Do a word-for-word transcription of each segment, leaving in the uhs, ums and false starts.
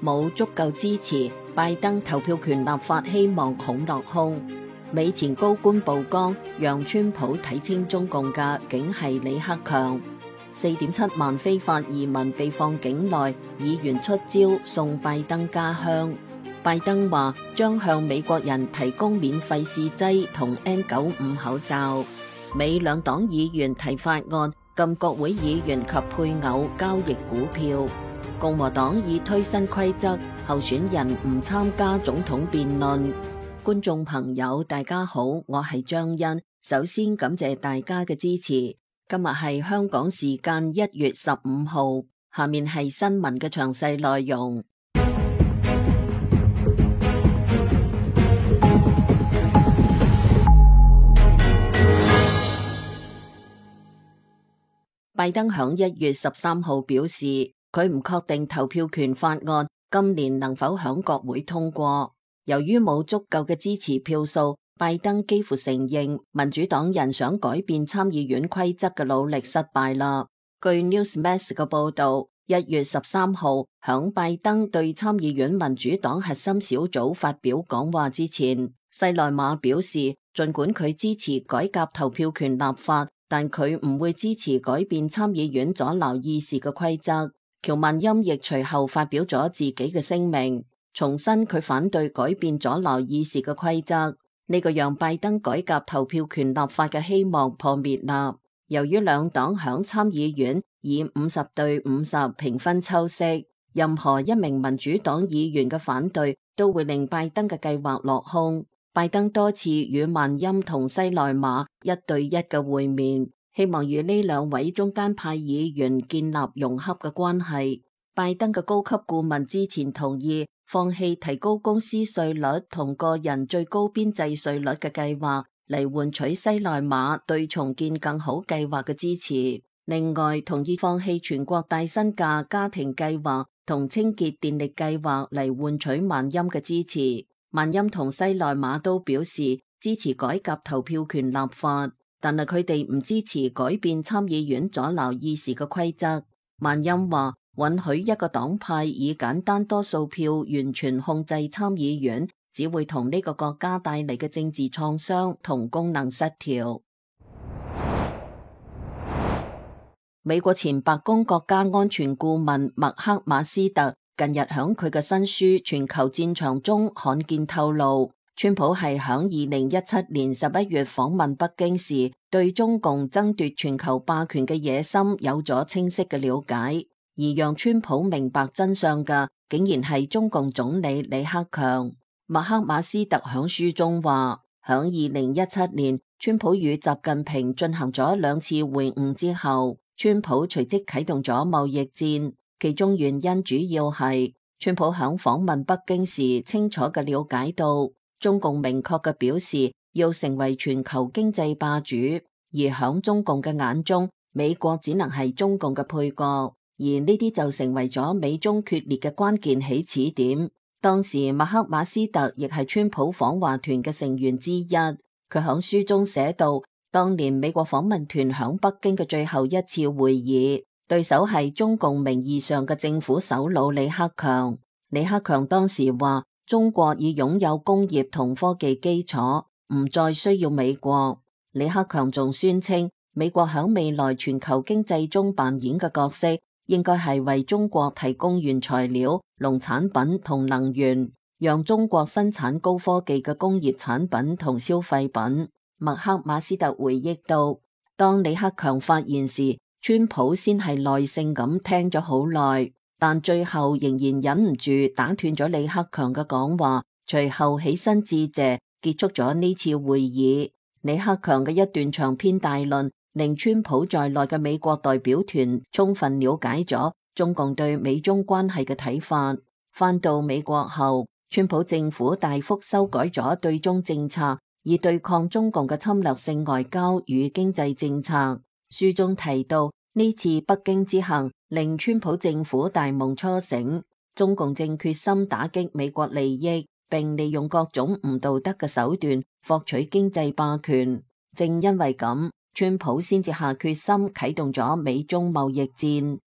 冇足夠支持，拜登投票權立法希望恐落空。美前高官曝光，讓川普睇清中共嘅竟係李克強。四點七萬非法移民被放境內，議員出招送拜登家鄉。拜登話將向美國人提供免費試劑同 N 九五 口罩。美兩黨議員提法案，禁國會議員及配偶交易股票。共和黨已推新規則，候選人唔參加總統辯論。觀眾朋友大家好，我係張欣，首先感謝大家嘅支持。今日係香港時間一月十五號，下面係新聞嘅詳細內容。拜登響一月十三號表示，佢唔確定投票權法案今年能否響國會通過。由於冇足夠嘅支持票數，拜登幾乎承認民主黨人想改變參議院規則嘅努力失敗啦。據 Newsmax 嘅報道，一月十三號響拜登對參議院民主黨核心小組發表講話之前，西內馬表示，儘管佢支持改革投票權立法，但佢唔會支持改變參議院阻撓議事嘅規則。喬曼欽亦隨後發表咗自己嘅聲明，重申佢反對改變阻撓議事嘅規則。呢個讓拜登改革投票權立法嘅希望破滅啦。由於兩黨響參議院以五十對五十平分秋色，任何一名民主黨議員嘅反對都會令拜登嘅計劃落空。拜登多次與曼欽同西內馬一對一嘅會面，希望與呢兩位中間派議員建立融洽嘅關係。拜登嘅高級顧問之前同意放棄提高公司稅率同個人最高邊際稅率嘅計劃，嚟換取西內馬對重建更好計劃嘅支持。另外，同意放棄全國帶薪假家庭計劃同清潔電力計劃嚟換取曼欽嘅支持。曼欽同西內馬都表示支持改革投票權立法，但係佢哋唔支持改變參議院阻撓議事嘅規則。曼欽話，允許一個黨派以簡單多數票完全控制參議院，只會同呢個國家帶嚟嘅政治創傷同功能失調。美國前白宮國家安全顧問麥克馬斯特近日響佢嘅新書《全球戰場》中罕見透露，川普係響二零一七年十一月訪問北京時，對中共爭奪全球霸權嘅野心有咗清晰嘅了解。而讓川普明白真相嘅，竟然係中共總理李克強。麥克馬斯特響書中話，響二零一七年，川普與習近平進行咗兩次會晤之後，川普隨即啟動咗貿易戰。其中原因主要係川普響訪問北京時，清楚嘅了解到中共明確嘅表示要成為全球經濟霸主，而響中共嘅眼中，美國只能係中共嘅配角。而呢啲就成為咗美中決裂嘅關鍵起始點。當時麥克馬斯特亦係川普訪華團嘅成員之一。佢響書中寫到，當年美國訪問團響北京嘅最後一次會議，對手係中共名義上嘅政府首腦李克強。李克強當時話，中國已擁有工業同科技基礎，唔再需要美國。李克強仲宣稱，美國響未來全球經濟中扮演嘅角色，應該係為中國提供原材料、農產品同能源，讓中國生產高科技嘅工業產品同消費品。麥克馬斯特回憶到，當李克強發言時，川普先係耐性咁聽咗好耐，但最後仍然忍唔住打斷咗李克強嘅講話，隨後起身致謝，結束咗呢次會議。李克強嘅一段長篇大論，令川普在內嘅美國代表團充分了解咗中共對美中關係嘅睇法。返到美國後，川普政府大幅修改咗對中政策，以對抗中共嘅侵略性外交與經濟政策。書中提到，呢次北京之行令川普政府大夢初醒，中共正決心打擊美國利益，並利用各種唔道德嘅手段獲取經濟霸權。正因為咁，川普先至下決心啟動咗美中貿易戰。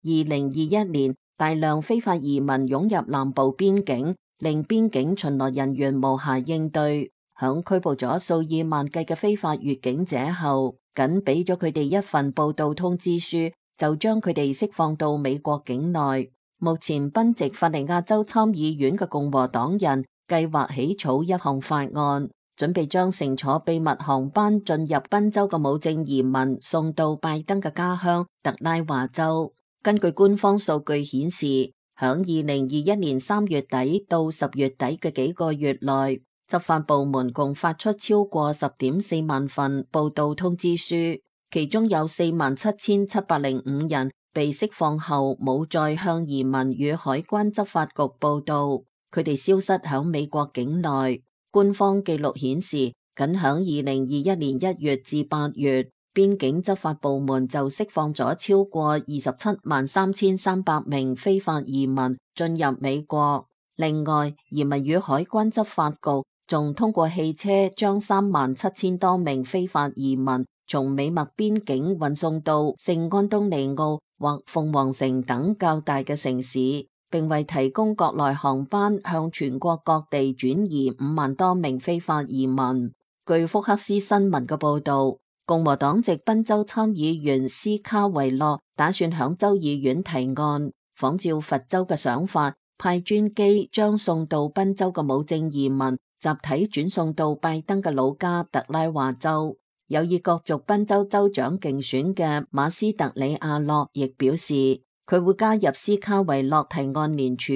二零二一年，大量非法移民湧入南部邊境，令邊境巡邏人員無暇應對。響拘捕咗數以萬計嘅非法越境者後，僅俾咗佢哋一份報到通知書，就將佢哋釋放到美國境內。目前賓夕法尼亞州參議院嘅共和黨人計劃起草一項法案，準備將乘坐秘密航班進入賓州嘅無證移民送到拜登嘅家鄉特拉華州。根據官方數據顯示，響二零二一年三月底到十月底嘅幾個月內，執法部門共發出超過十點四萬份報到通知書，其中有四萬七千七百零五人被釋放後冇再向移民與海關執法局報到，佢哋消失響美國境內。官方記錄顯示，僅響二零二一年一月至八月，邊境執法部門就釋放咗超過二十七萬三千三百名非法移民進入美國。另外，移民與海關執法局仲通過汽車將三萬七千多名非法移民從美墨邊境運送到聖安東尼奧或鳳凰城等較大嘅城市，並為提供國內航班向全國各地轉移五萬多名非法移民。據福克斯新聞嘅報道，共和黨籍賓州參議員斯卡維洛打算響州議院提案，仿照佛州嘅想法，派專機將送到賓州嘅無證移民集體轉送到拜登嘅老家特拉華州。有意角逐賓州州長競選嘅馬斯特里亞洛亦表示，佢會加入斯卡維洛提案聯署。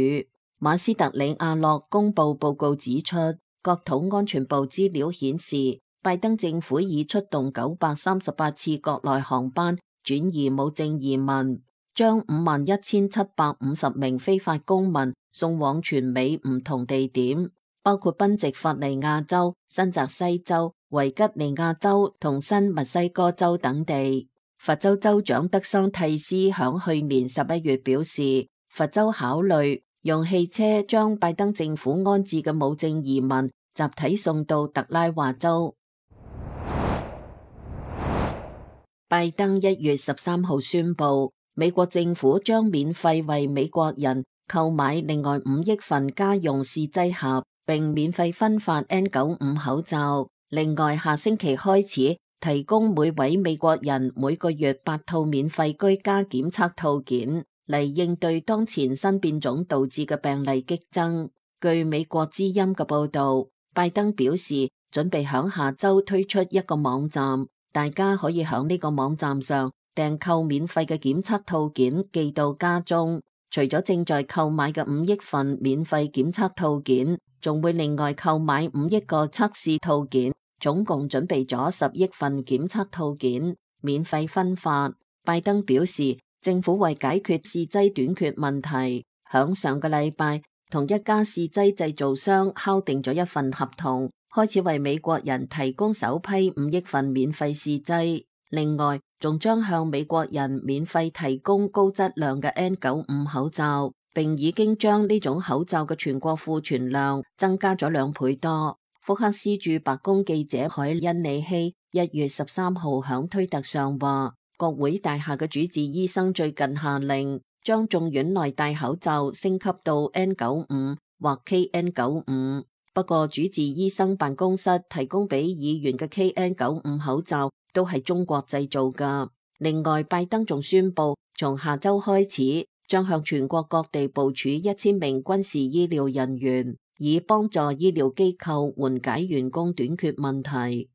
馬斯特里亞洛公布報告指出，國土安全部資料顯示，拜登政府已出動九百三十八次國內航班轉移無證移民，將五萬一千七百五十名非法公民送往全美唔同地點，包括賓夕法尼亞州、新澤西州、維吉尼亞州同新墨西哥州等地。佛州州長德桑蒂斯響去年十一月表示，佛州考慮用汽車將拜登政府安置嘅無證移民集體送到特拉華州。拜登一月十三號宣布，美國政府將免費為美國人購買另外五億份家用試劑盒，並免費分發 N 九十五 口罩。另外，下星期開始提供每位美國人每個月八套免費居家檢測套件，嚟應對當前新變種導致嘅病例激增。據美國之音嘅報道，拜登表示準備響下周推出一個網站，大家可以響呢個網站上訂購免費嘅檢測套件寄到家中。除咗正在購買嘅五億份免費檢測套件，仲會另外購買五億個測試套件，總共準備咗十億份檢測套件免費分發。拜登表示，政府為解決試劑短缺問題，響上個禮拜同一家試劑製造商敲定咗一份合同，開始為美國人提供首批五億份免費試劑。另外，仲將向美國人免費提供高質量嘅 N 九十五 口罩，並已經將呢種口罩嘅全國庫存量增加咗兩倍多。福克斯駐白宮記者海恩里希一月十三號響推特上話，國會大廈嘅主治醫生最近下令將眾院內戴口罩升級到 N 九十五 或 K N 九十五。不過，主治醫生辦公室提供俾議員嘅 K N 九十五 口罩都係中國製造㗎。另外，拜登仲宣布從下周開始，將向全國各地部署一千名軍事醫療人員，以幫助醫療機構緩解員工短缺問題。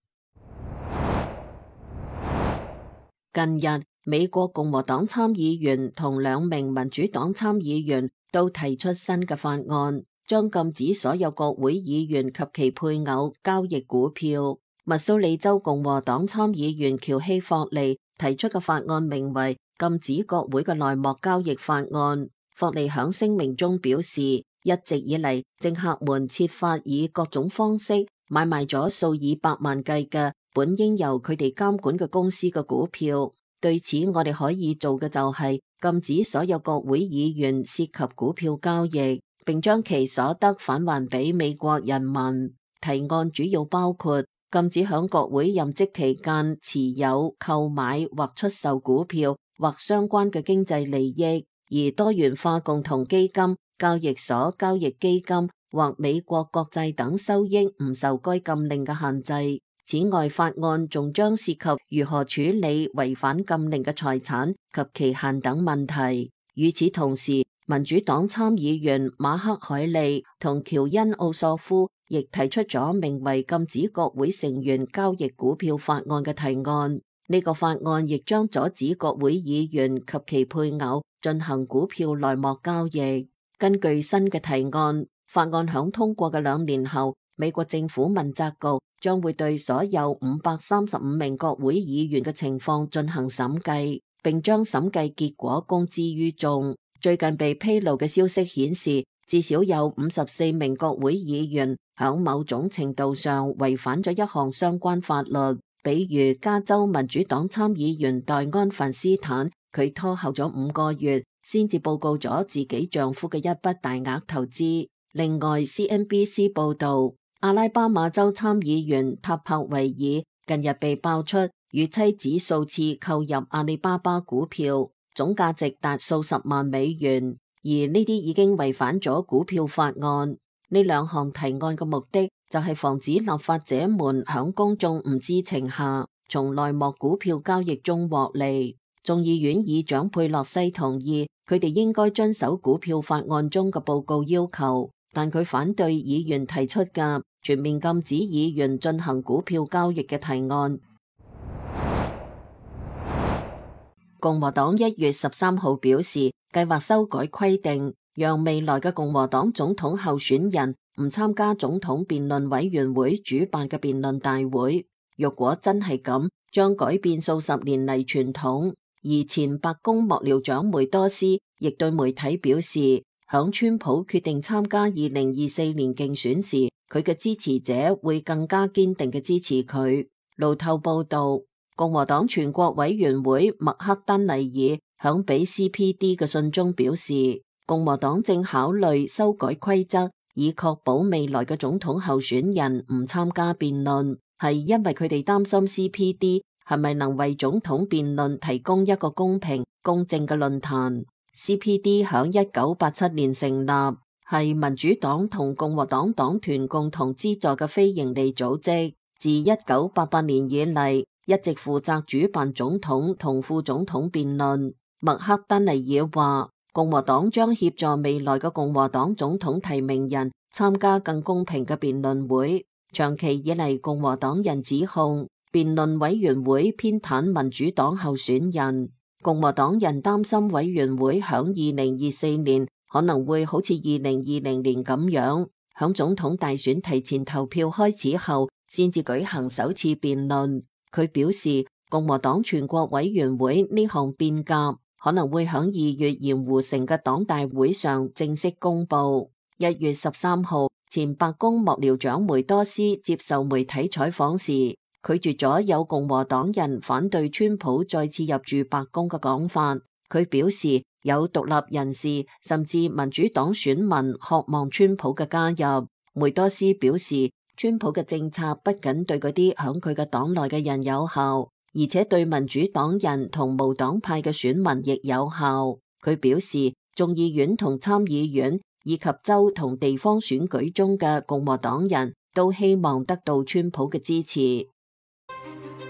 近日，美國共和黨參議員同兩名民主黨參議員都提出新嘅法案，將禁止所有國會議員及其配偶交易股票。密蘇里州共和黨參議員喬希霍利提出嘅法案名為禁止國會嘅內幕交易法案。霍利響聲明中表示，一直以嚟政客們設法以各種方式買賣咗數以百萬計嘅本應由佢哋監管嘅公司嘅股票。對此，我哋可以做嘅就係禁止所有國會議員涉及股票交易，並將其所得返還俾美國人民。提案主要包括禁止響國會任職期間持有、購買或出售股票或相關嘅經濟利益，而多元化共同基金、交易所交易基金或美國國債等收益唔受該禁令嘅限制。此外，法案仲將涉及如何處理違反禁令嘅財產及期限等問題。與此同時，民主黨參議員馬克海利同喬恩奧索夫亦提出咗名為禁止國會成員交易股票法案嘅提案。呢個法案亦將阻止國會議員及其配偶進行股票內幕交易。根據新嘅提案，法案響通過嘅兩年後，美國政府問責局將會對所有五百三十五名國會議員嘅情況進行審計，並將審計結果公之於眾。最近被披露嘅消息顯示，至少有五十四名國會議員響某種程度上違反咗一項相關法律，比如加州民主黨參議員戴安范斯坦，佢拖後咗五個月先至報告咗自己丈夫嘅一筆大額投資。另外 ，C N B C 報道，阿拉巴馬州參議員塔柏維爾近日被爆出與妻子數次購入阿里巴巴股票，總價值達數十萬美元，而呢啲已經違反咗股票法案。呢兩項提案嘅目的就係防止立法者們響公眾唔知情下，從內幕股票交易中獲利。眾議院議長佩洛西同意佢哋應該遵守股票法案中嘅報告要求，但佢反對議員提出嘅全面禁止議員進行股票交易嘅提案。共和黨一月十三號表示，計劃修改規定，讓未來嘅共和黨總統候選人唔參加總統辯論委員會主辦嘅辯論大會。若果真係咁，將改變數十年嚟傳統。而前白宮幕僚長梅多斯亦對媒體表示，響川普決定參加二零二四年競選時，佢嘅支持者會更加堅定嘅支持佢。路透報道，共和黨全國委員會麥克丹尼爾響俾 C P D 嘅信中表示，共和黨正考慮修改規則，以確保未來嘅總統候選人唔參加辯論，係因為佢哋擔心 C P D 係咪能為總統辯論提供一個公平公正嘅論壇。 C P D 響一九八七年成立，係民主黨同共和黨黨團共同資助嘅非營利組織，自一九八八年以嚟一直負責主辦總統同副總統辯論。麥克丹尼爾話，共和黨將協助未來嘅共和黨總統提名人參加更公平嘅辯論會。長期以嚟，共和黨人指控辯論委員會偏袒民主黨候選人。共和黨人擔心委員會響二零二四年可能會好似二零二零年咁樣，響總統大選提前投票開始後先至舉行首次辯論。佢表示，共和黨全國委員會呢項變革可能會響二月鹽湖城嘅黨大會上正式公布。一月十三號，前白宮幕僚長梅多斯接受媒體採訪時，拒絕咗有共和黨人反對川普再次入住白宮嘅講法。佢表示，有獨立人士甚至民主黨選民渴望川普嘅加入。梅多斯表示，川普嘅政策不僅對嗰啲響佢嘅黨內嘅人有效，而且對民主黨人同無黨派嘅選民亦有效。佢表示，眾議院同參議院以及州同地方選舉中嘅共和黨人都希望得到川普嘅支持。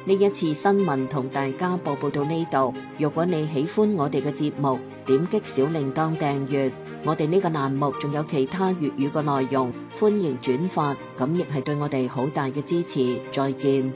呢一次新聞同大家報報到呢度。如果你喜歡我哋嘅節目，點擊小鈴鐺訂閱。我哋呢個欄目仲有其他粵語嘅內容，歡迎轉發，咁亦係對我哋好大嘅支持。再見。